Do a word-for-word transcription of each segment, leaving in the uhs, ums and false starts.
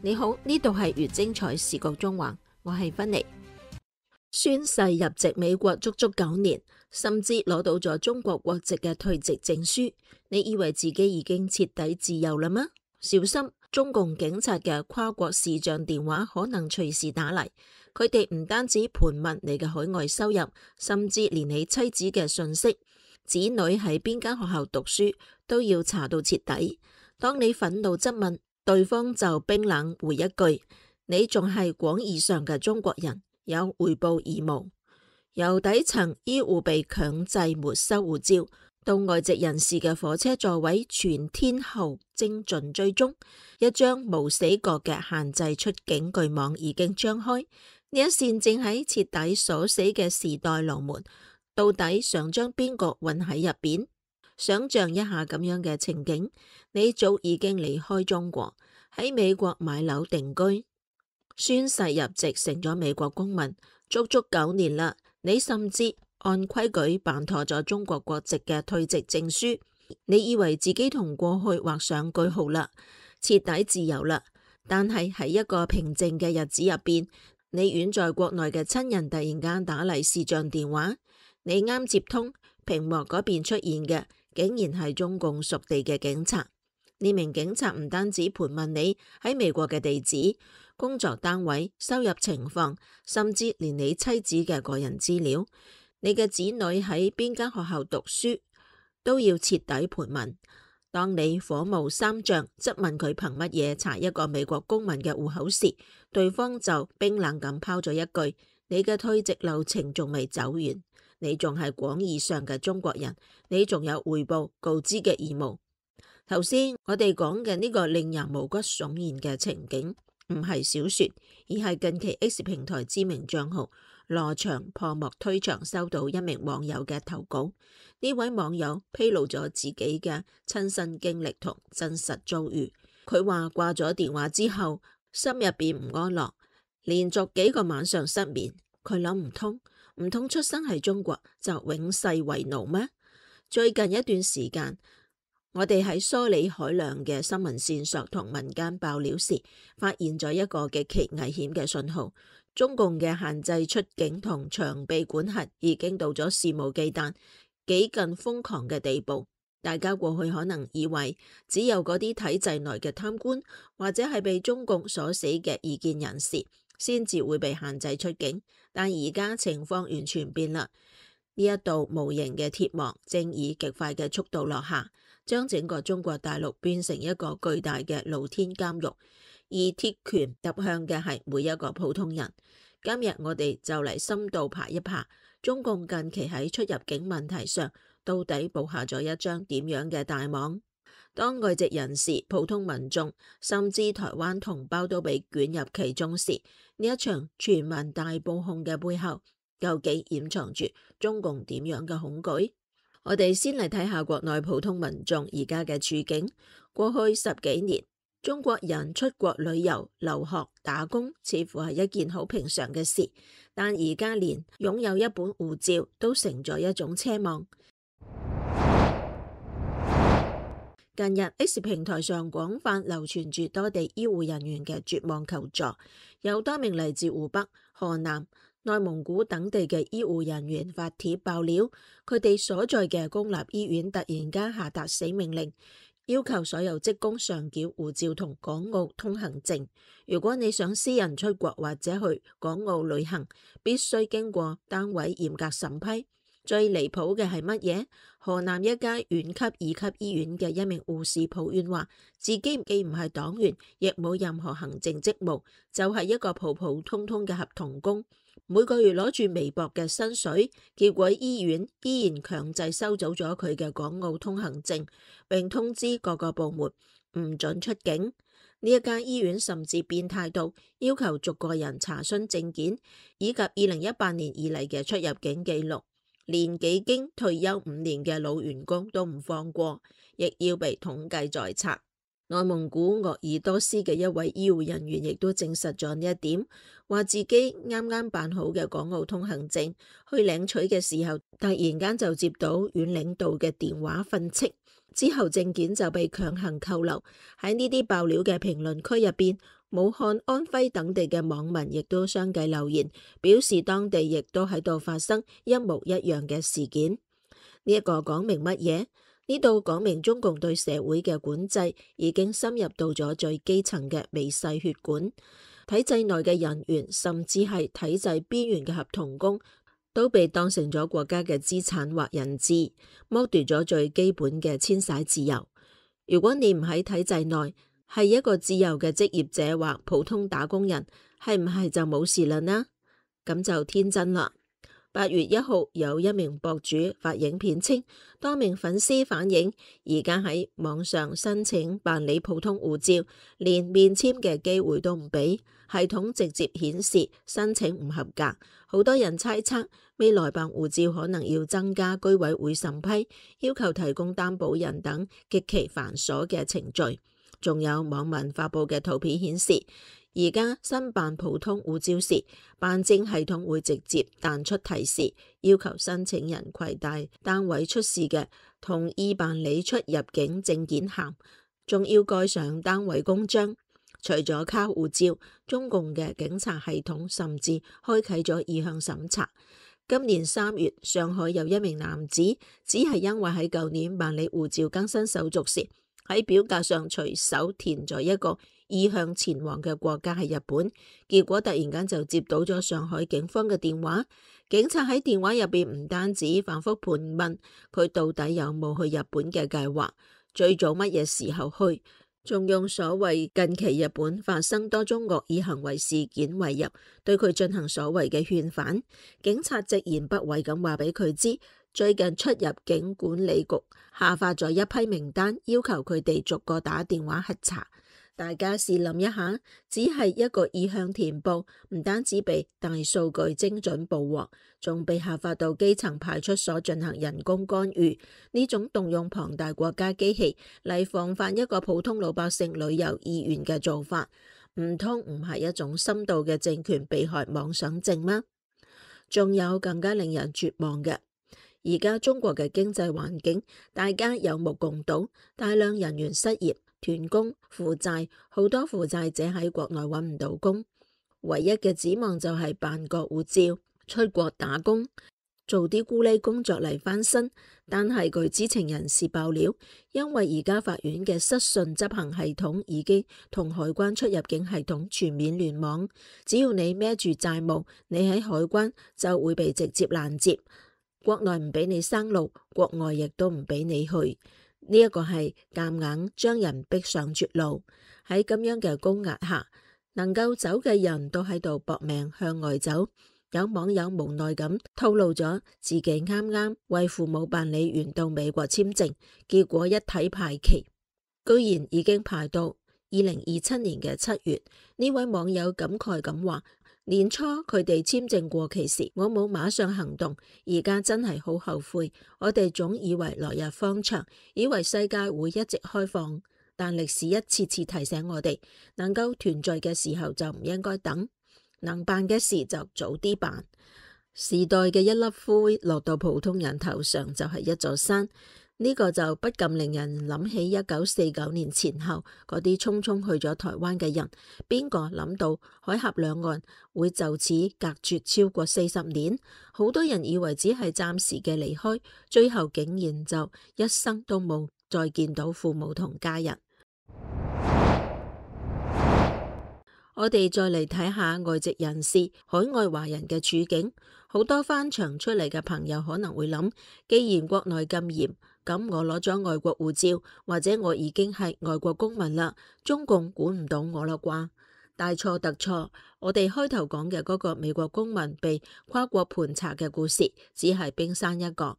你好，呢度係越精彩視覺中環，我係芬妮。宣誓入籍美國足足九年，甚至攞到咗中國國籍嘅退籍證書，你以為自己已經徹底自由啦嗎？小心，中共警察嘅跨國視像電話可能隨時打嚟，佢哋唔單止盤問你嘅海外收入，甚至連你妻子嘅信息、子女喺邊間學校讀書都要查到徹底。當你憤怒質問，對方就冰冷回一句：你仲係廣義上嘅中國人，有回報義務。由底層醫護被強制沒收護照，到外籍人士嘅火車座位全天候精準追蹤，一張無死角嘅限制出境巨網已經張開。呢一扇正喺徹底鎖死嘅時代龍門，到底想將邊個困喺入邊？想象一下咁樣嘅情景，你早已經離開中國，喺美國買樓定居，宣誓入籍成咗美國公民，足足九年啦。你甚至按規矩辦妥咗中國國籍嘅退籍證書，你以為自己同過去畫上句號啦，徹底自由啦。但係喺一個平靜嘅日子入邊，你遠在國內嘅親人突然間打嚟視像電話，你啱接通，屏幕嗰邊出現嘅竟然係中共屬地嘅警察。呢名警察唔單止盤問你喺美國嘅地址、工作單位、收入情況，甚至連你妻子嘅個人資料、你嘅子女喺邊間學校讀書都要徹底盤問。當你火冒三丈質問佢憑乜嘢查一個美國公民嘅戶口時，對方就冰冷咁拋咗一句：你嘅退籍流程仲未走完，你仲係廣義上嘅中國人，你仲有匯報告知嘅義務。頭先我哋講嘅呢個令人毛骨悚然嘅情景，唔係小說，而係近期 X 平台知名賬號羅翔破幕推牆收到一名網友嘅投稿。呢位網友披露咗自己嘅親身經歷同真實遭遇。佢話掛咗電話之後，心入邊唔安樂，連續幾個晚上失眠。佢諗唔通，唔通出生喺中國就永世為奴咩？最近一段時間，我哋喺梳理海量嘅新聞線索同民間爆料時，發現咗一個極其危險嘅信號。中共嘅限制出境同長臂管轄已經到咗肆無忌憚、幾近瘋狂嘅地步。大家過去可能以為只有嗰啲體制內嘅貪官或者係被中共鎖死嘅異見人士先至會被限制出境，但而家情況完全變啦。呢一道無形嘅鐵幕正以極快嘅速度落下，將整個中國大陸變成一個巨大嘅露天監獄，而鐵拳揼向嘅係每一個普通人。今日我哋就嚟深度爬一爬，中共近期喺出入境問題上到底布下咗一張點樣嘅大網？當外籍人士、普通民眾甚至台灣同胞都被捲入其中時，呢一場全民大報控嘅背後，究竟掩藏住中共點樣嘅恐懼？我哋先嚟睇下國內普通民眾而家嘅處境。過去十幾年，中國人出國旅遊、留學、打工，似乎係一件好平常嘅事。但而家連擁有一本護照都成咗一種奢望。近日 X 平台上廣泛流傳住多地醫護人員嘅絕望求助，有多名嚟自湖北、河南、內蒙古等地嘅醫護人員發帖爆料，佢哋所在嘅公立醫院突然間下達死命令，要求所有職工上繳護照同港澳通行證。如果你想私人出國或者去港澳旅行，必須經過單位嚴格審批。最離譜嘅係乜嘢？河南一家縣級二級醫院嘅一名護士抱怨話，自己既唔係黨員，亦冇任何行政職務，就係一個普普通通嘅合同工，每個月攞住微薄嘅薪水，結果醫院依然強制收走咗佢嘅港澳通行證，並通知各個部門唔准出境。呢一間醫院甚至變態到要求逐個人查詢證件以及二零一八年以嚟嘅出入境記錄。連幾經退休五年嘅老員工都唔放過，亦要被統計在冊。內蒙古鄂爾多斯嘅一位醫護人員亦都證實咗呢一點，話自己啱啱辦好嘅港澳通行證去領取嘅時候，突然間就接到縣領導嘅電話訓斥，之後證件就被強行扣留。喺呢啲爆料嘅評論區入邊，武漢、安徽等地嘅網民亦都相繼留言，表示當地亦都喺度發生一模一樣嘅事件。呢一個講明乜嘢？呢度講明中共對社會嘅管制已經深入到咗最基層嘅微細血管，體制內嘅人員甚至係體制邊緣嘅合同工都被當成咗國家嘅資產或人質，剝奪咗最基本嘅遷徙自由。如果你唔喺體制內，係一個自由嘅職業者或普通打工人，係唔係就冇事啦呢？咁就天真啦。八月一號，有一名博主發影片稱，多名粉絲反映，而家喺網上申請辦理普通護照，連面簽嘅機會都唔俾，系統直接顯示申請唔合格。好多人猜測，未來辦護照可能要增加居委會審批，要求提供擔保人等極其繁瑣嘅程序。仲有網民發布嘅圖片顯示，而家申辦普通護照時，辦證系統會直接彈出提示，要求申請人攜帶單位出示嘅同意辦理出入境證件函，仲要蓋上單位公章。除咗卡護照，中共嘅警察系統甚至開啟咗意向審查。今年三月，上海有一名男子，只係因為喺舊年辦理護照更新手續時，喺表格上隨手填咗一個意向前往嘅國家係日本，結果突然間就接到咗上海警方嘅電話。警察喺電話入邊唔單止反覆盤問佢到底有冇去日本嘅計劃，最早乜嘢時候去，仲用所謂近期日本發生多宗惡意行為事件為由，對佢進行所謂嘅勸返。警察直言不諱咁話俾佢知，最近出入境管理局下發咗一批名單，要求佢哋逐個打電話核查。大家試諗一下，只係一個意向填報，唔單止被大數據精準捕獲，仲被下發到基層派出所進行人工干預。呢種動用龐大國家機器嚟防範一個普通老百姓旅遊意願嘅做法，唔通唔係一種深度嘅政權被害妄想症嗎？仲有更加令人絕望嘅。而家中國嘅經濟環境，大家有目共睹，大量人員失業、斷工、負債，好多負債者喺國內揾唔到工，唯一嘅指望就係辦個護照，出國打工，做啲咕喱工作嚟翻身。但係據知情人士爆料，因為而家法院嘅失信執行系統已經同海關出入境系統全面聯網，只要你孭住債務，你喺海關就會被直接攔截。國內唔俾你生路，國外亦都唔俾你去，呢一個係夾硬將人逼上絕路。喺咁樣嘅高壓下，能夠走嘅人都喺度搏命向外走。有網友無奈咁透露咗自己啱啱為父母辦理完到美國簽證，結果一睇排期，居然已經排到二零二七年嘅七月。呢位網友感慨咁話：年初佢哋簽證過期時，我冇馬上行動，而家真係好後悔。我哋總以為來日方長，以為世界會一直開放，但歷史一次次提醒我哋，能夠團聚嘅時候就唔應該等，能辦嘅事就早啲辦。時代嘅一粒灰落到普通人頭上就係一座山。呢個就不禁令人諗起一九四九年前後嗰啲匆匆去咗台灣嘅人，邊個諗到海峽兩岸會就此隔絕超過四十年？好多人以為只係暫時嘅離開，最後竟然就一生都冇再見到父母同家人。我哋再嚟睇下外籍人士、海外華人嘅處境。好多翻牆出嚟嘅朋友可能會諗，既然國內咁嚴，咁我攞咗外國護照，或者我已經係外國公民啦，中共管唔到我啦啩？大錯特錯。我哋開頭講嘅嗰個美國公民被跨國盤查嘅故事，只係冰山一角。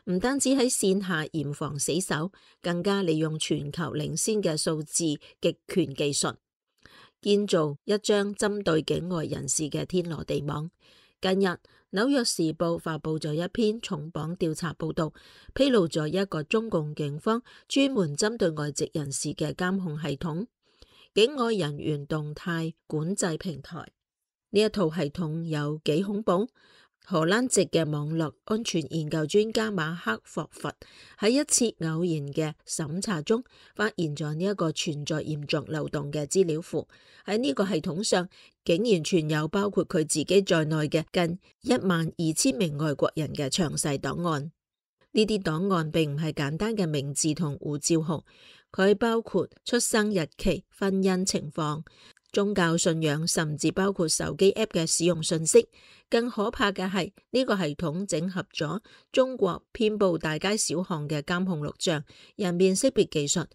唔單止喺線下嚴防死守，更加利用全球領先嘅數字極權技術，建造一張針對境外人士嘅天羅地網。近日，紐約時報發佈咗一篇重磅調查報道，披露咗一個中共警方專門針對外籍人士嘅監控系統——境外人員動態管制平台。呢一套系統有幾恐怖？荷蘭籍嘅網絡安全研究專家馬克霍佛喺一次偶然嘅審查中，發現咗呢一個存在嚴重漏洞嘅資料庫。喺呢個系統上，竟然存有包括佢自己在內嘅近一萬二千名外國人嘅詳細檔案。呢啲檔案並唔係簡單嘅名字同護照號，佢包括出生日期、婚姻情況、宗教信仰，甚至包括手機 App 嘅使用信息。更可怕嘅係呢個系統整合咗中國遍佈大街小巷嘅監控錄像、人面識別技術、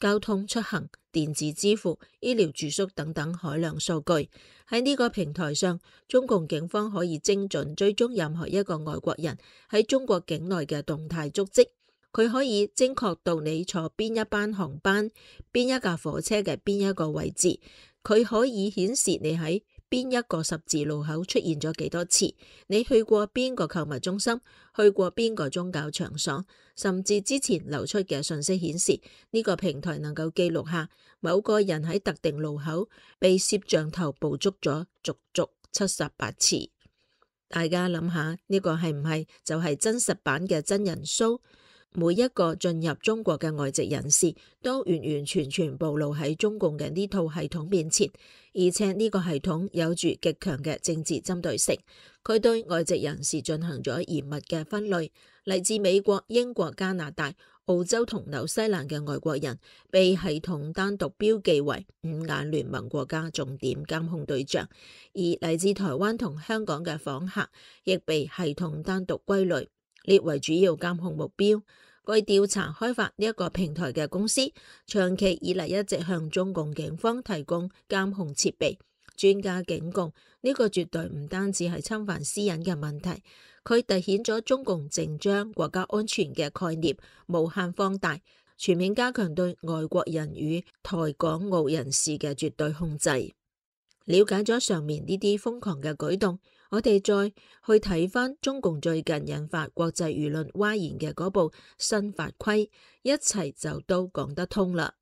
交通出行、電子支付、醫療住宿等等海量數據。喺呢個平台上，中共警方可以精準追蹤任何一個外國人喺中國境內嘅動態足跡。佢可以精確到你坐邊一班航班、邊一架火車嘅邊一個位置。佢可以顯示你喺邊一個十字路口出現咗幾多次，你去過邊個購物中心，去過邊個宗教場所，甚至之前流出嘅信息顯示，呢個平台能夠記錄下某個人喺特定路口被攝像頭捕捉咗足足七十八次。大家諗下，呢個係唔係就係真實版嘅真人 show？每一個進入中國嘅外籍人士都完完全全暴露喺中共嘅呢套系統面前，而且呢個系統有住極強嘅政治針對性。佢對外籍人士進行咗嚴密嘅分類，嚟自美國、英國、加拿大、澳洲同紐西蘭嘅外國人被系統單獨標記為五眼聯盟國家重點監控對象，而嚟自台灣同香港嘅訪客亦被系統單獨歸類，列為主要監控目標。據調查，開發呢一個平台嘅公司長期以嚟一直向中共警方提供監控設備。專家警告，呢個絕對唔單止係侵犯私隱嘅問題，佢凸顯咗中共正將國家安全嘅概念無限放大，全面加強對外國人與台港澳人士嘅絕對控制。了解咗上面呢啲瘋狂嘅舉動，我哋再去睇翻中共最近引發國際輿論譁然嘅嗰部新法規，一切就都講得通啦。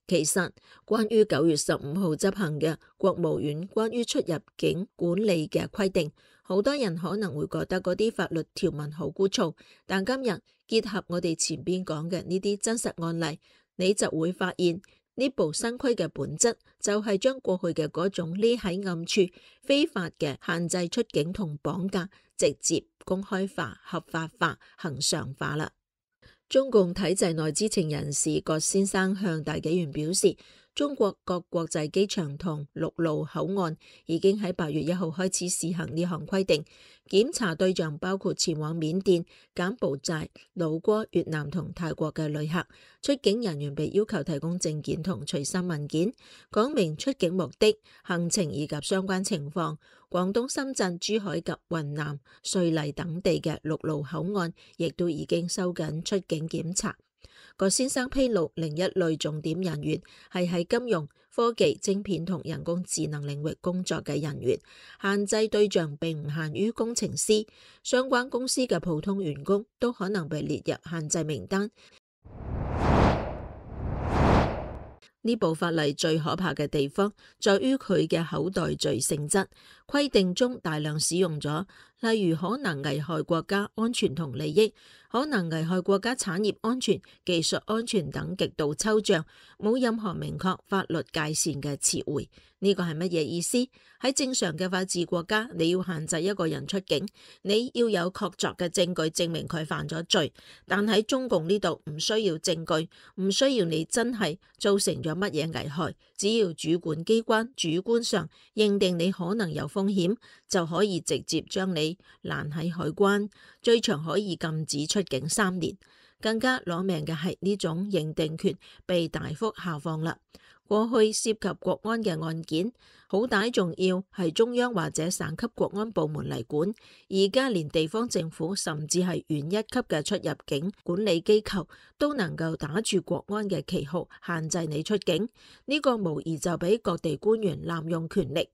其實關於九月十五號執行嘅國務院關於出入境管理嘅規定，好多人可能會覺得嗰啲法律條文好枯燥，但今日結合我哋前邊講嘅呢啲真實案例，你就會發現呢部新規嘅本質就係將過去嘅嗰種匿喺暗處非法嘅限制出境同綁架直接公開化、合法化、恆常化啦。中共體制內知情人士葛先生向大紀元表示，中國各國際機場同陸路口岸已經喺八月一號開始試行呢項規定，檢查對象包括前往緬甸、柬埔寨、老撾、越南同泰國嘅旅客。出境人員被要求提供證件同隨身文件，講明出境目的、行程以及相關情況。廣東、深圳、珠海及雲南、瑞麗等地嘅陸路口岸亦都已經收緊出境檢查。葛先生披露，另一類重點人員係喺金融、科技、晶片同人工智能領域工作嘅人員，限制對象並唔限於工程師，相關公司嘅普通員工都可能被列入限制名單。呢部法例最可怕嘅地方，在於佢嘅口袋罪性質，規定中大量使用咗例如可能危害國家安全同利益、可能危害國家產業安全、技術安全等極度抽象、冇任何明確法律界線嘅詞彙。呢個係乜嘢意思？喺正常嘅法治國家，你要限制一個人出境，你要有確鑿嘅證據證明佢犯咗罪。但喺中共呢度唔需要證據，唔需要你真係造成咗乜嘢危害，只要主管機關主觀上認定你可能有風險，就可以直接將你攔喺海關，最長可以禁止出境三年。更加攞命嘅係呢種認定權被大幅下放啦。過去涉及國安嘅案件，好歹仲要係中央或者省級國安部門嚟管，而家連地方政府甚至係縣一級嘅出入境管理機構都能夠打住國安嘅旗號限制你出境，呢個無疑就俾各地官員濫用權力、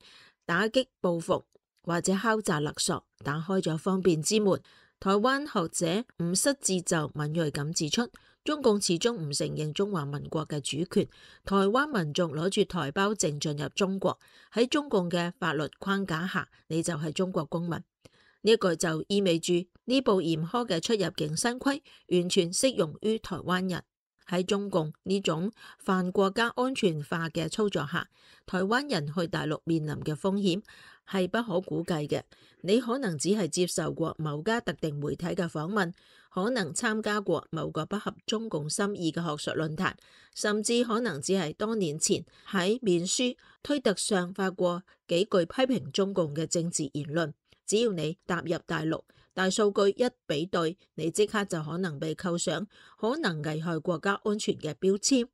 打擊報復或者敲詐勒索打開咗方便之門。台灣學者吳失智就敏銳咁指出，中共始終唔承認中華民國嘅主權，台灣民眾攞住台胞證進入中國，喺中共嘅法律框架下，你就係中國公民。呢一個就意味住呢部嚴苛嘅出入境新規完全適用於台灣人。喺中共呢種泛國家安全化嘅操作下，台灣人去大陸面臨嘅風險係不可估計嘅。你可能只係接受過某家特定媒體嘅訪問，可能參加過某個不合中共心意嘅學術論壇，甚至可能只係多年前喺面書、推特上發過幾句批評中共嘅政治言論。只要你踏入大陸，大數據一比對，你即刻就可能被扣上可能危害國家安全嘅標籤。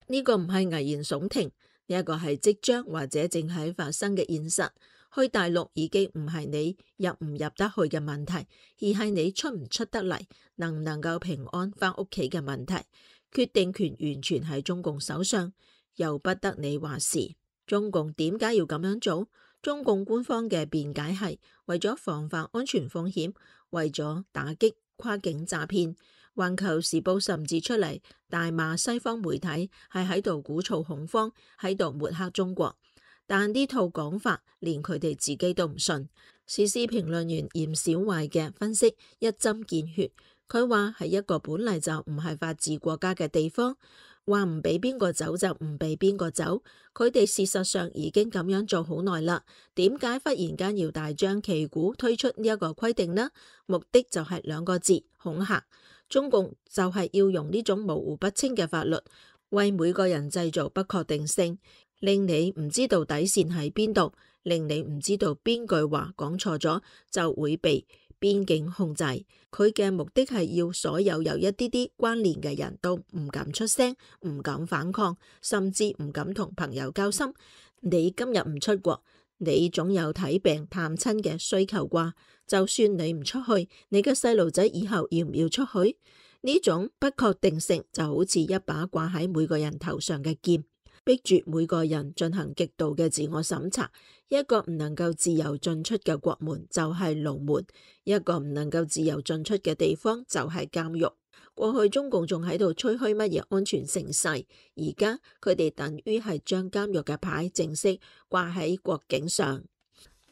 呢個唔係危言聳聽，呢一個係即將或者正喺發生嘅現實。去大陸已經唔係你入唔入得去嘅問題，而係你出唔出得嚟，能唔能夠平安返屋企嘅問題。決定權完全喺中共手上，由不得你話事。中共點解要咁樣做？中共官方嘅辯解係為咗防範安全風險，為咗打擊跨境詐騙。環球時報甚至出嚟大罵西方媒體係喺度鼓噪恐慌，喺度抹黑中國。但呢套講法連佢哋自己都唔信。時事評論員嚴小壞嘅分析一針見血，佢話係一個本嚟就唔係法治國家嘅地方，話唔俾邊個走就唔俾邊個走。佢哋事實上已經咁樣做好耐啦，點解忽然間要大張旗鼓推出呢一個規定呢？目的就係兩個字：恐嚇。中共就係要用呢種模糊不清嘅法律，為每個人製造不確定性，令你唔知道底線喺邊度，令你唔知道邊句話講錯咗就會被邊境控制。佢嘅目的係要所有有一啲啲關聯嘅人都唔敢出聲，唔敢反抗，甚至唔敢同朋友交心。你今日唔出國，你總有睇病探親嘅需求啩？就算你唔出去，你嘅細路仔以後要唔要出去？呢種不確定性就好似一把掛喺每個人頭上嘅劍，逼住每個人進行極度嘅自我審查。一個唔能夠自由進出嘅國門就係牢門，一個唔能夠自由進出嘅地方就係監獄。過去中共仲喺度吹噓乜嘢安全盛世，而家佢哋等於係將監獄嘅牌正式掛喺國境上。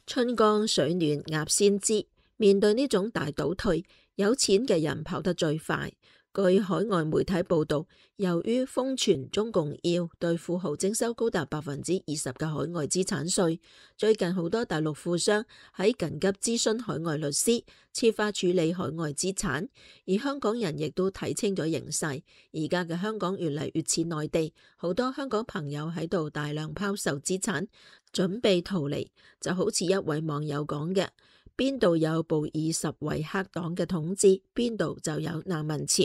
春江水暖鴨先知，面對呢種大倒退，有錢嘅人跑得最快。據海外媒體報道，由於瘋傳中共要對富豪徵收高達百分之二十嘅海外資產稅，最近好多大陸富商喺緊急諮詢海外律師，設法處理海外資產。而香港人亦都睇清咗形勢，而家嘅香港越嚟越似內地，好多香港朋友喺度大量拋售資產，準備逃離。就好似一位網友講嘅：邊度有布爾什維克黨嘅統治，邊度就有難民潮。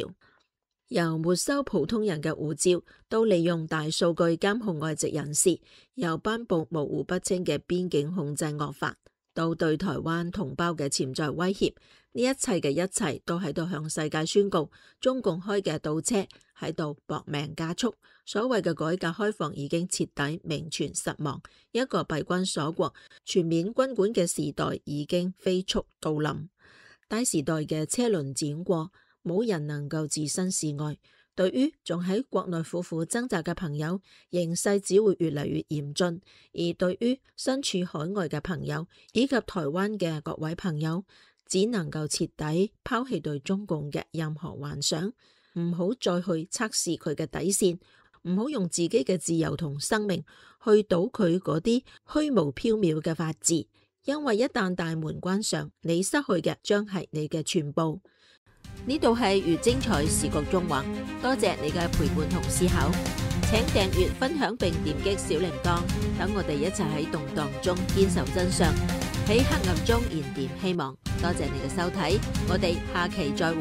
由沒收普通人嘅護照，到利用大數據監控外籍人士，由頒布模糊不清嘅邊境控制惡法，到對台灣同胞嘅潛在威脅，呢一切嘅一切都喺度向世界宣告，中共開嘅倒車喺度搏命加速。所謂嘅改革開放已經徹底名存實亡，一個閉關鎖國、全面軍管嘅時代已經飛速到臨。大時代嘅車輪轉過，冇人能夠置身事外。對於仲喺國內苦苦掙扎嘅朋友，形勢只會越嚟越嚴峻；而對於身處海外嘅朋友以及台灣嘅各位朋友，只能夠徹底拋棄對中共嘅任何幻想，唔好再去測試佢嘅底線，唔好用自己嘅自由同生命去賭佢嗰啲虛無縹緲嘅法治，因為一旦大門關上，你失去嘅將係你嘅全部。呢度係越精彩時局縱橫，多謝你嘅陪伴同思考，請訂閱、分享並點擊小鈴鐺，等我哋一齊喺動盪中堅守真相，喺黑暗中燃點希望。多謝你嘅收睇，我哋下期再會。